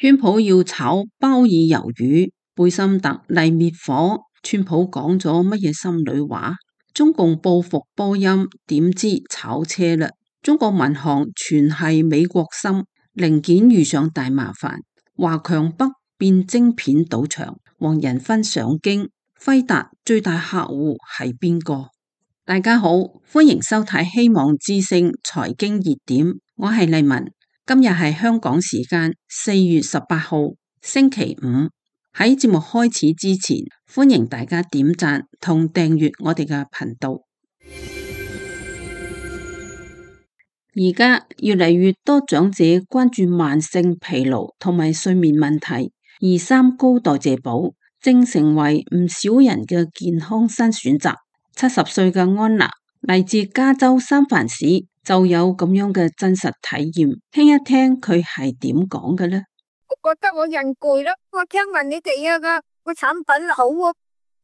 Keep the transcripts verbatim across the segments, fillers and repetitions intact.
川普要炒鮑爾魷魚，貝森特嚟滅火。川普講咗乜嘢心裏話？中共報復波音，點知炒車啦？中國民航全係美國心，零件遇上大麻煩。華強北變晶片賭場，黃仁勳上京。輝達最大客戶係邊個？大家好，歡迎收睇希望之聲財經熱點，我係麗文。今日係香港時間四月十八號星期五。喺節目開始之前，歡迎大家點讚同訂閱我哋嘅頻道。而家越嚟越多長者關注慢性疲勞同埋睡眠問題，而三高代謝寶正成為唔少人嘅健康新選擇。七十歲嘅安娜嚟自加州三藩市，就有咁樣嘅真實體驗，聽一聽佢係點講嘅呢？我覺得我人攰啦，我聽聞你哋啊個個產品好啊，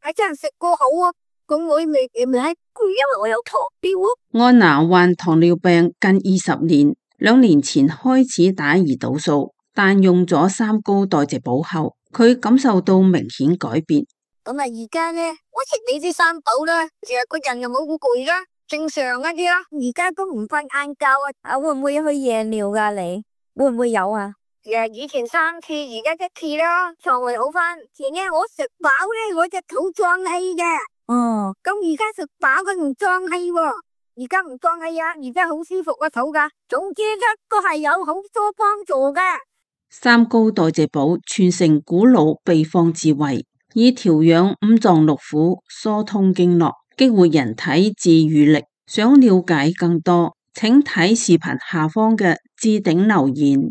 係真係食過好啊，咁我未未係攰，因為我有糖尿啊。安娜患糖尿病近二十年，兩年前開始打胰島素，但用咗三高代謝寶後，佢感受到明顯改變。咁啊，而家咧，我食你啲三寶啦，成日個人又冇好攰啦，正常一啲啦。而家都唔瞓晏覺啊，啊會唔會去夜尿噶？你會唔會有啊？誒，以前三次，而家一次啦，腸胃好翻。前日我食飽咧，我隻肚脹氣嘅。哦，咁而家食飽佢唔脹氣喎，而家唔脹氣啊，而家好舒服個肚噶。總之一個係有好多幫助嘅。三高代謝寶傳承古老秘方智慧，以調養五臟六腑、疏通經絡、激活人體自癒力。想了解更多，請睇視頻下方嘅置頂留言。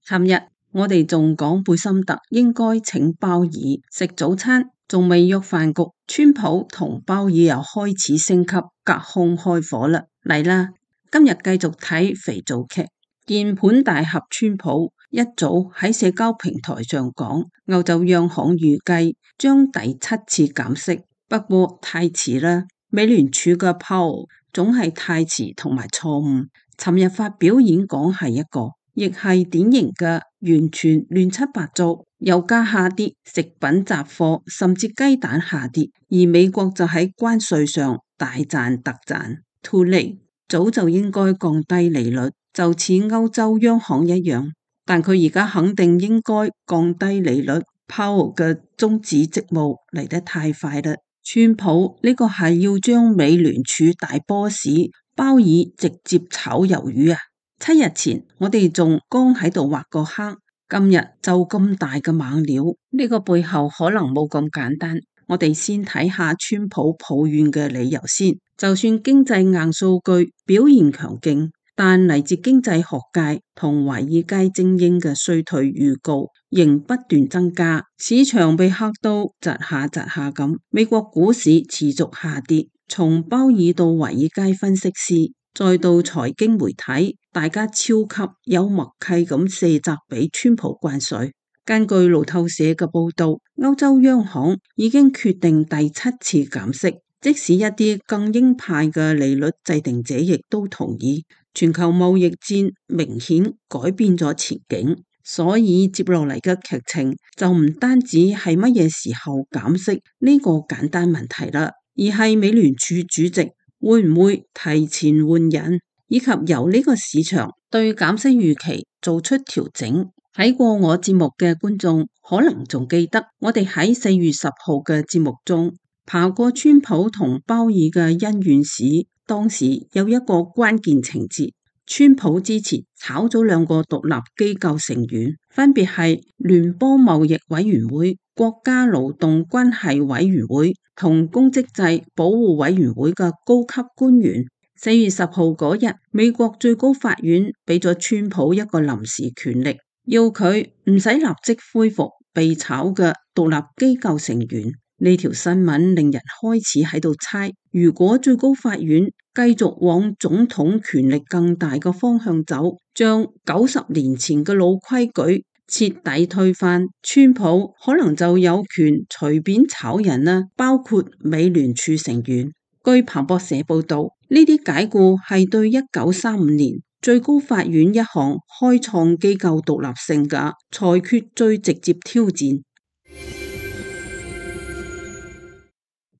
尋日我哋仲講貝森特應該請鮑爾食早餐，仲未約飯局，川普同鮑爾又開始升級，隔空開火啦！嚟啦，今日繼續睇肥皂劇。鍵盤大俠川普一早喺社交平台上講，歐洲央行預計將第七次減息，不過太遲啦。美聯儲嘅鮑爾總係太遲同埋錯誤。尋日發表演講係一個，亦係典型嘅完全亂七八糟。油價下跌，食品雜貨甚至雞蛋下跌，而美國就喺關稅上大賺特賺。too late，早就應該降低利率，就似歐洲央行一樣。但佢而家肯定應該降低利率。鮑爾嘅終止職務嚟得太快啦！川普呢個係要將美聯儲大 boss 鮑爾直接炒魷魚啊！七日前我哋仲剛喺度畫個坑，今日就咁大嘅猛料，呢、這個背後可能冇咁簡單。我哋先睇下川普抱怨嘅理由先。就算經濟硬數據表現強勁，但嚟自經濟學界同華爾街精英嘅衰退預告仍不斷增加，市場被嚇到窒下窒下咁。美國股市持續下跌，從鮑爾到華爾街分析師，再到財經媒體，大家超級有默契咁卸責俾川普關稅。根據路透社嘅報道，歐洲央行已經決定第七次減息，即使一啲更鷹派嘅利率制定者亦都同意。全球貿易戰明顯改變咗前景，所以接落嚟嘅劇情就唔單止係乜嘢時候減息呢個簡單問題啦，而係美聯儲主席會唔會提前換人，以及由呢個市場對減息預期做出調整。睇過我節目嘅觀眾可能仲記得，我哋喺四月十號嘅節目中爬過川普同鮑爾嘅恩怨史。當時有一個關鍵情節，川普之前炒咗兩個獨立機構成員，分別係聯邦貿易委員會、國家勞動關係委員會同公職制保護委員會嘅高級官員。四月十號嗰日，美國最高法院俾咗川普一個臨時權力，要佢唔使立即恢復被炒嘅獨立機構成員。呢條新聞令人開始喺度猜，如果最高法院繼續往總統權力更大嘅方向走，將九十年前嘅老規矩徹底推翻，川普可能就有權隨便炒人啦，包括美聯儲成員。據彭博社報道，呢啲解雇係對一九三五年最高法院一項開創機構獨立性嘅裁決最直接挑戰。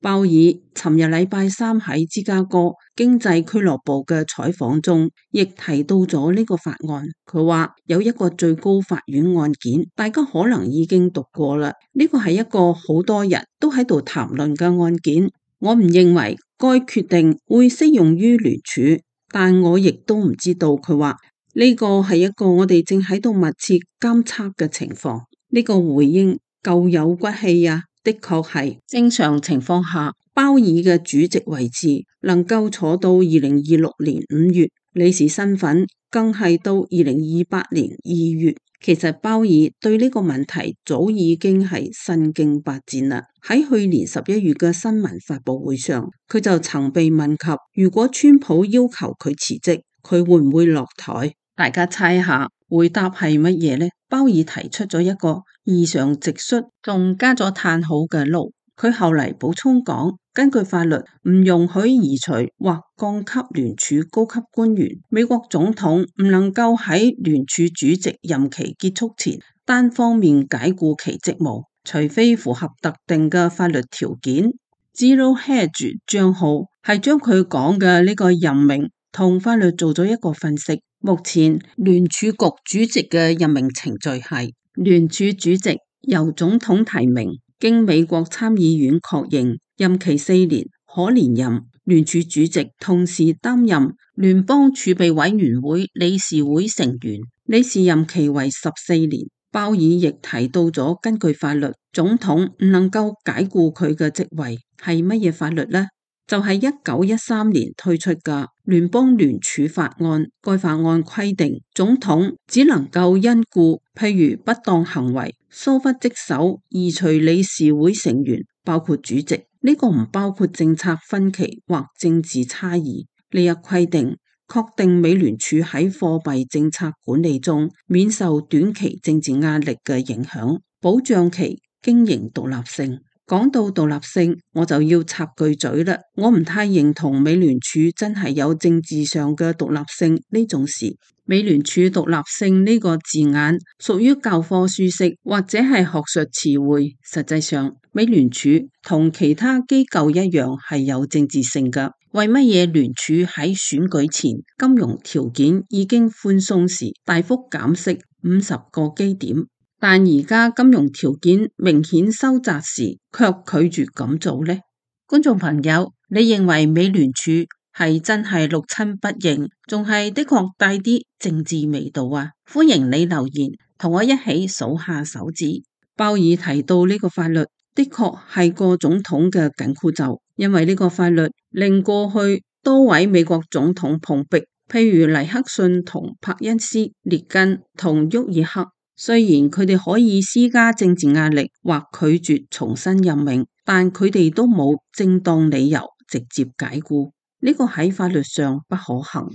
鮑爾尋日禮拜三喺芝加哥經濟俱樂部嘅採訪中，亦提到咗呢個法案。佢話有一個最高法院案件，大家可能已經讀過啦。呢個係一個好多人都喺度談論嘅案件。我唔認為該決定會適用於聯儲，但我亦都唔知道。佢話呢個係一個我哋正喺度密切監測嘅情況。呢個回應夠有骨氣啊！的確係正常情況下，鮑爾嘅主席位置能夠坐到二零二六年五月，理事身份更係到二零二八年二月。其實鮑爾對呢個問題早已經係身經百戰啦。喺去年十一月嘅新聞發佈會上，佢就曾被問及如果川普要求佢辭職，佢會唔會落台？大家猜下回答係乜嘢呢？鮑爾提出咗一個異常直率，仲加咗嘆號嘅 no。佢後嚟補充講，根據法律唔容許移除或降級聯儲高級官員，美國總統唔能夠喺聯儲主席任期結束前單方面解雇其職務，除非符合特定嘅法律條件。Zero Hedge 賬號係將佢講嘅呢個任命同法律做咗一個分析。目前聯儲局主席嘅任命程序係聯儲主席由總統提名，經美國參議院確認，任期四年，可連任。聯儲主席同時擔任聯邦儲備委員會理事會成員，理事任期為十四年。鮑爾亦提到咗，根據法律，總統唔能夠解雇佢嘅職位。係乜嘢法律呢？就係一九一三年推出嘅聯邦聯儲法案。該法案規定，總統只能夠因故，譬如不當行為、疏忽職守，移除理事會成員，包括主席。呢個唔包括政策分歧或政治差異。呢一規定確定美聯儲喺貨幣政策管理中免受短期政治壓力嘅影響，保障其經營獨立性。講到獨立性，我就要插句嘴啦。我唔太認同美聯儲真係有政治上嘅獨立性呢種事。美聯儲獨立性呢個字眼屬於教科書式或者係學術詞彙。實際上，美聯儲同其他機構一樣係有政治性㗎。為乜嘢聯儲喺選舉前金融條件已經寬鬆時大幅減息五十個基點？但而家金融條件明顯收窄時，卻拒絕咁做呢？觀眾朋友，你認為美聯儲係真係六親不認，仲係的確帶啲政治味道啊？歡迎你留言，同我一起數下手指。鮑爾提到呢個法律的確係個總統嘅緊箍咒，因為呢個法律令過去多位美國總統碰壁，譬如尼克遜同柏恩斯、列根同沃爾克。雖然佢哋可以施加政治壓力或拒絕重新任命，但佢哋都冇正當理由直接解雇，呢個喺法律上不可行。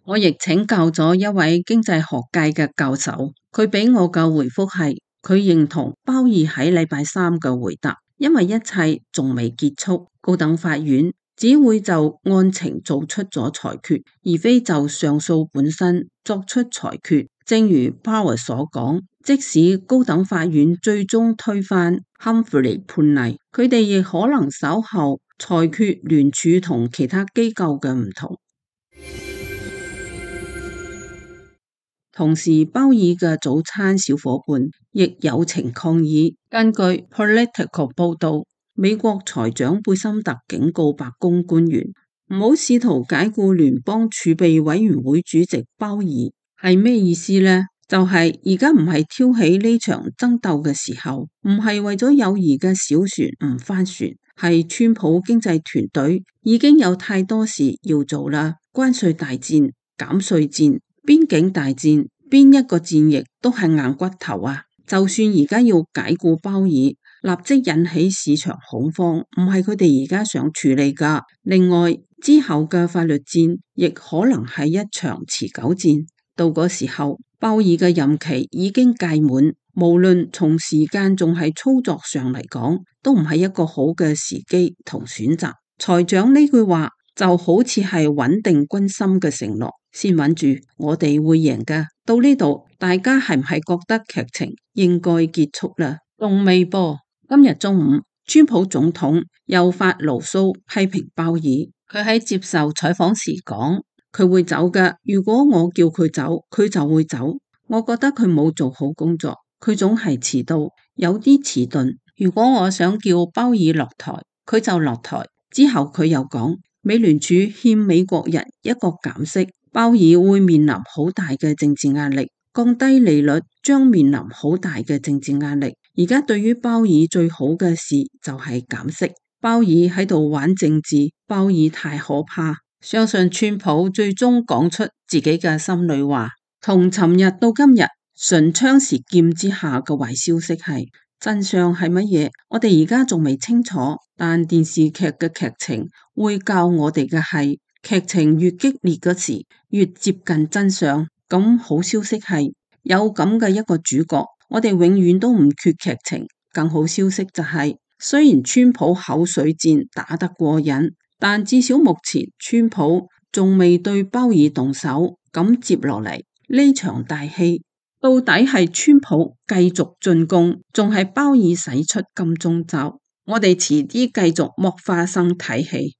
我亦請教咗一位經濟學界嘅教授，佢俾我嘅回覆係，佢認同鮑爾喺禮拜三嘅回答，因為一切仲未結束，高等法院只會就案情做出咗裁決，而非就上訴本身作出裁決。正如鮑爾所講，即使高等法院最終推翻 Humphrey 判例，佢哋亦可能稍後裁決聯儲同其他機構嘅唔同。同時，鮑爾嘅早餐小伙伴亦友情抗議。根據 Political 報道，美國財長貝森特警告白宮官員唔好試圖解雇聯邦儲備委員會主席鮑爾。係咩意思呢？就係而家唔係挑起呢場爭鬥嘅時候，唔係為咗友誼嘅小船唔翻船，係川普經濟團隊已經有太多事要做啦。關稅大戰、減稅戰、邊境大戰，邊一個戰役都係硬骨頭啊！就算而家要解雇鮑爾，立即引起市場恐慌，唔係佢哋而家想處理噶。另外，之後嘅法律戰亦可能係一場持久戰。到嗰時候，鮑爾嘅任期已經屆滿，無論從時間仲係操作上嚟講，都唔係一個好嘅時機同選擇。財長呢句話就好似係穩定軍心嘅承諾，先穩住，我哋會贏㗎。到呢度，大家係唔係覺得劇情應該結束啦？仲未噃，今日中午，川普總統又發牢騷批評鮑爾，佢喺接受採訪時講，佢會走㗎，如果我叫佢走，佢就會走。我覺得佢冇做好工作，佢總係遲到，有啲遲鈍。如果我想叫鮑爾落台，佢就落台。之後佢又講，美聯儲欠美國人一個減息，鮑爾會面臨好大嘅政治壓力，降低利率將面臨好大嘅政治壓力。而家對於鮑爾最好嘅事就係減息。鮑爾喺度玩政治，鮑爾太可怕。相信川普最終講出自己嘅心裏話。從尋日到今日，唇槍舌劍之下嘅壞消息係，真相係乜嘢？我哋而家仲未清楚，但電視劇嘅劇情會教我哋嘅係，劇情越激烈嗰時，越接近真相。咁好消息係有咁嘅一個主角，我哋永遠都唔缺劇情。更好消息就係，雖然川普口水戰打得過癮，但至少目前川普仲未對鮑爾動手。咁接落嚟呢場大戲，到底係川普繼續進攻，仲係鮑爾使出金鐘罩？我哋遲啲繼續剝花生睇戲。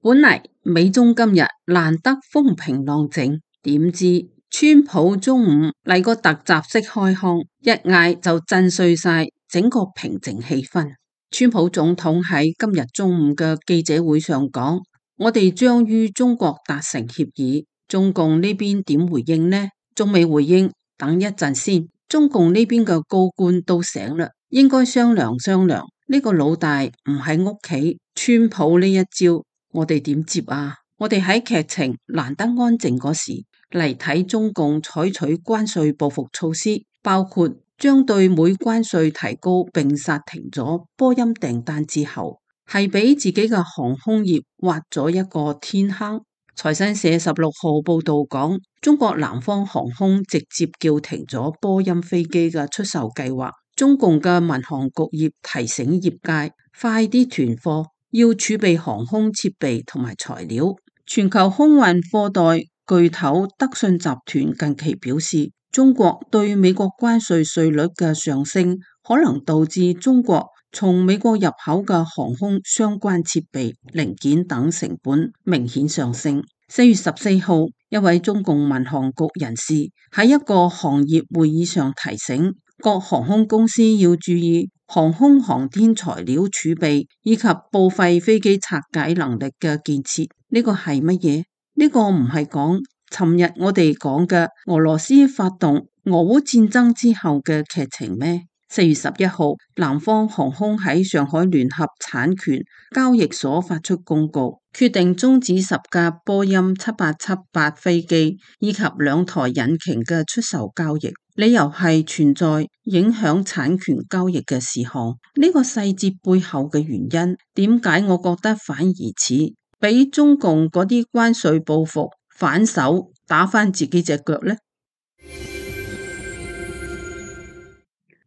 本嚟美中今日難得風平浪靜，點知川普中午嚟個突襲式開腔，一嗌就震碎晒整個平靜氣氛。川普總統喺今日中午嘅記者會上講，我哋將與中國達成協議。中共呢邊點回應呢？仲未回應，等一陣先。中共呢邊嘅高官都醒啦，應該商量商量。呢個老大唔喺屋企，川普呢一招，我哋點接啊？我哋喺劇情難得安靜嗰時嚟睇中共採取關稅報復措施，包括將對美關稅提高並剎停咗波音訂單之後，係俾自己嘅航空業挖咗一個天坑。財新社十六號報道講，中國南方航空直接叫停咗波音飛機嘅出售計劃。中共嘅民航局業提醒業界快啲囤貨，要儲備航空設備同埋材料。全球空運貨代巨頭德信集團近期表示，中國對美國關稅稅率嘅上升，可能導致中國從美國入口嘅航空相關設備、零件等成本明顯上升。四月十四號，一位中共民航局人士喺一個行業會議上提醒各航空公司要注意航空航天材料儲備以及報廢飛機拆解能力嘅建設。呢個係乜嘢？呢個唔係講尋日我哋講嘅俄羅斯發動俄烏戰爭之後嘅劇情咩？四月十一號，南方航空喺上海聯合產權交易所發出公告，決定終止十架波音七八七八飛機以及兩台引擎嘅出售交易，理由係存在影響產權交易嘅事項。呢個細節背後嘅原因，點解我覺得反而似俾中共嗰啲關稅報復反手打返自己隻腳呢？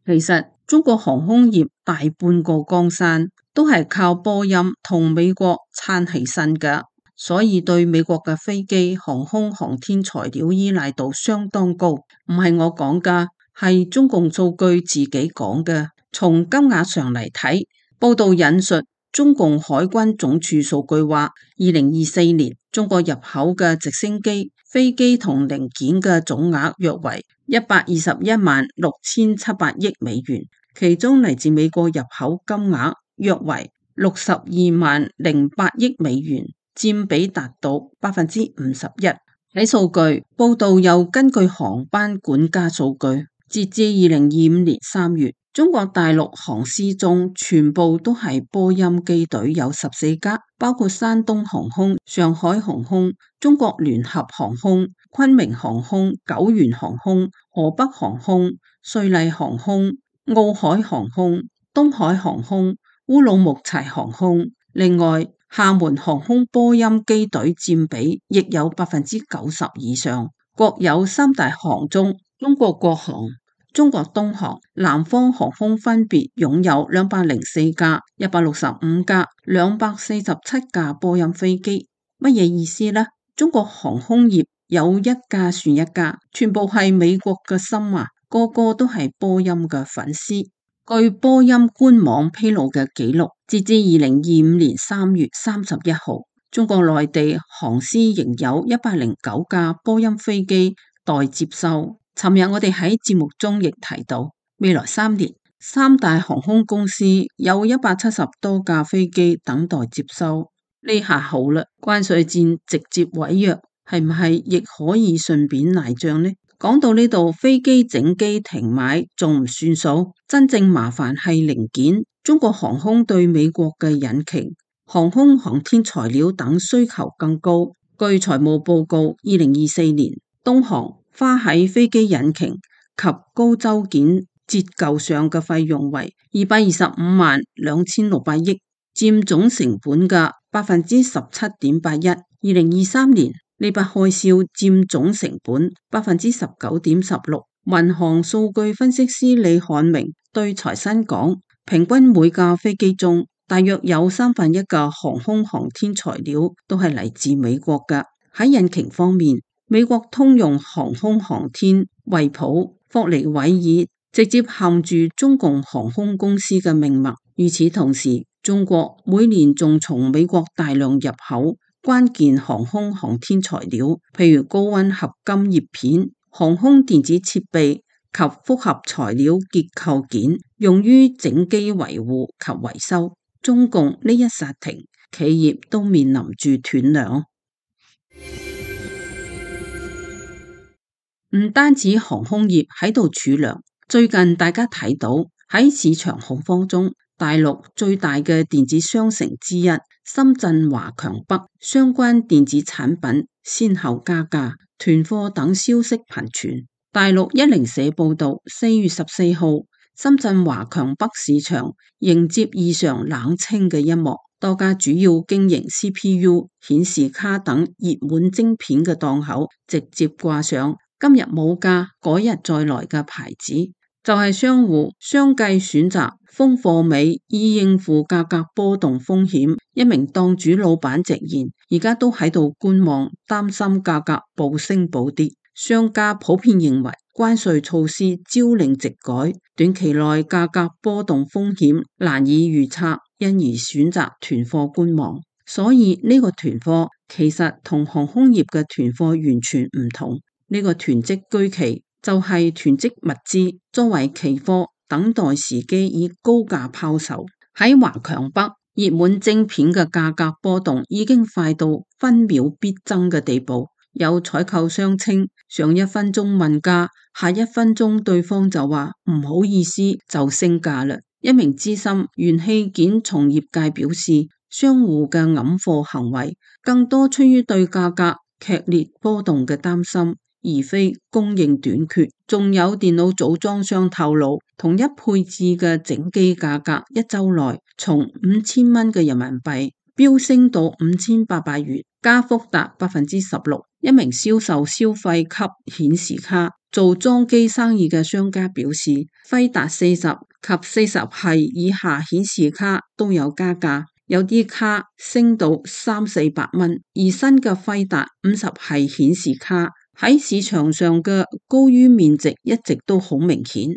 其實中國航空業大半個江山都係靠波音同美國撐起身㗎，所以對美國嘅飛機、航空航天材料依賴度相當高。唔係我講㗎，係中共數據自己講嘅。從金額上嚟睇，報道引述中共海軍總署數據話，二零二四年中國入口嘅直升機、飛機同零件嘅總額約為一百二十一萬六千七百億美元，其中嚟自美國入口金額約為六十二萬零八億美元，佔比達到百分之五十一。睇數據報道又根據航班管家數據，截至二零二五年三月，中國大陸航司中全部都係波音機隊，有十四家，包括山東航空、上海航空、中國聯合航空、昆明航空、九元航空、河北航空、瑞麗航空、奧海航空、東海航空、烏魯木齊航空。另外，廈門航空波音機隊佔比亦有百分之九十以上。國有三大航中，中國國航、中國東航、南方航空分別擁有兩百零四架、一百六十五架、兩百四十七架波音飛機。乜嘢意思呢？中國航空業有一架算一架，全部係美國嘅心啊，個個都係波音嘅粉絲。據波音官網披露嘅記錄，截至二零二五年三月三十一號，中國內地航司仍有一百零九架波音飛機待接收。尋日我哋喺節目中亦提到，未來三年三大航空公司有一百七十多架飛機等待接收。呢下好啦，關稅戰直接違約，係唔係亦可以順便賴賬呢？講到呢度，飛機整機停買仲唔算數，真正麻煩係零件。中國航空對美國嘅引擎、航空航天材料等需求更高。據財務報告，二零二四年東航花喺飛機引擎及高周件折舊上嘅費用為二百二十五萬兩千六百億，佔總成本嘅百分之十七點八一。二零二三年呢筆開銷佔總成本百分之十九點十六。民航數據分析師李漢明對財新講，平均每架飛機中大約有三分一嘅航空航天材料都係嚟自美國嘅。喺引擎方面，美國通用航空航天、惠普、霍尼韋爾直接含住中共航空公司嘅命脈。與此同時，中國每年仲從美國大量入口關鍵航空航天材料，譬如高溫合金葉片、航空電子設備及複合材料結構件，用於整機維護及維修。中共呢一剎停，企業都面臨住斷糧。唔單止航空業喺度儲糧，最近大家睇到喺市場恐慌中，大陸最大嘅電子商城之一深圳華強北相關電子產品先後加價、囤貨等消息頻傳。大陸一零四報道，四月十四號，深圳華強北市場迎接異常冷清嘅一幕，多家主要經營 C P U、顯示卡等熱門晶片嘅檔口直接掛上今日冇價，改日再來嘅牌子，就係商戶相繼選擇封貨尾以應付價格波動風險。一名檔主老闆直言，而家都喺度觀望，擔心價格暴升暴跌。商家普遍認為關稅措施朝令夕改，短期內價格波動風險難以預測，因而選擇囤貨觀望。所以呢個囤貨其實同航空業嘅囤貨完全唔同。呢個囤積居奇就係囤積物資作為期貨，等待時機以高價拋售。喺華強北，熱門晶片嘅價格波動已經快到分秒必爭嘅地步。有採購商稱，上一分鐘問價，下一分鐘對方就話唔好意思就升價啦。一名資深元器件從業界表示，商戶嘅揞貨行為更多出於對價格劇烈波動嘅擔心，而非供應短缺。仲有電腦組裝商透露，同一配置嘅整機價格一周內從五千蚊嘅人民幣飆升到五千八百元，加幅達百分之十六。一名銷售消費級顯示卡做裝機生意嘅商家表示，輝達四十及四十系以下顯示卡都有加價，有啲卡升到三四百蚊，而新嘅輝達五十系顯示卡喺市場上嘅高於面值一直都好明顯。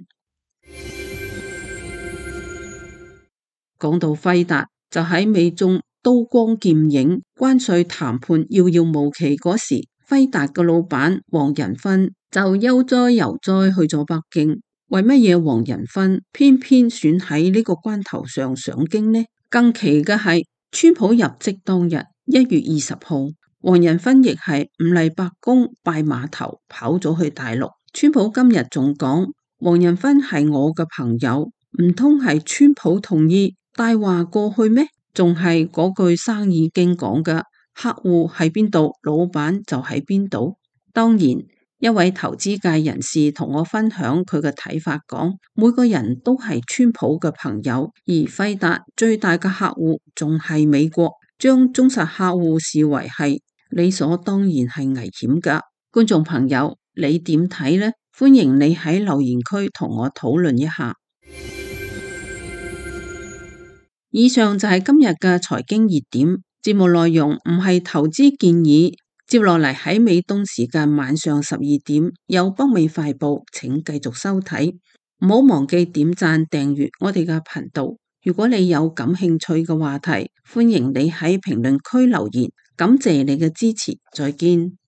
講到輝達，就喺美中刀光劍影、關稅談判遙遙無期嗰時，輝達嘅老闆黃仁勳就悠哉游哉去咗北京。為乜嘢黃仁勳偏偏選喺呢個關頭上上京呢？更奇嘅係，川普入職當日一月二十號，黃仁勳亦係唔嚟白宮拜碼頭，跑咗去大陸。川普今日仲講，黃仁勳係我嘅朋友，唔通係川普同意帶話過去咩？仲係嗰句生意經講嘅，客戶喺邊度，老闆就喺邊度。當然，一位投資界人士同我分享佢嘅睇法，講每個人都係川普嘅朋友，而輝達最大嘅客戶仲係美國，將忠實客戶視為係理所當然係危險噶。觀眾朋友，你點睇呢？歡迎你喺留言區同我討論一下。以上就係今日嘅財經熱點，節目內容唔係投資建議。接落嚟喺美東時間晚上十二點有北美快報，請繼續收睇。唔好忘記點讚訂閱我哋嘅頻道。如果你有感興趣嘅話題，歡迎你喺評論區留言。感謝你嘅支持，再見。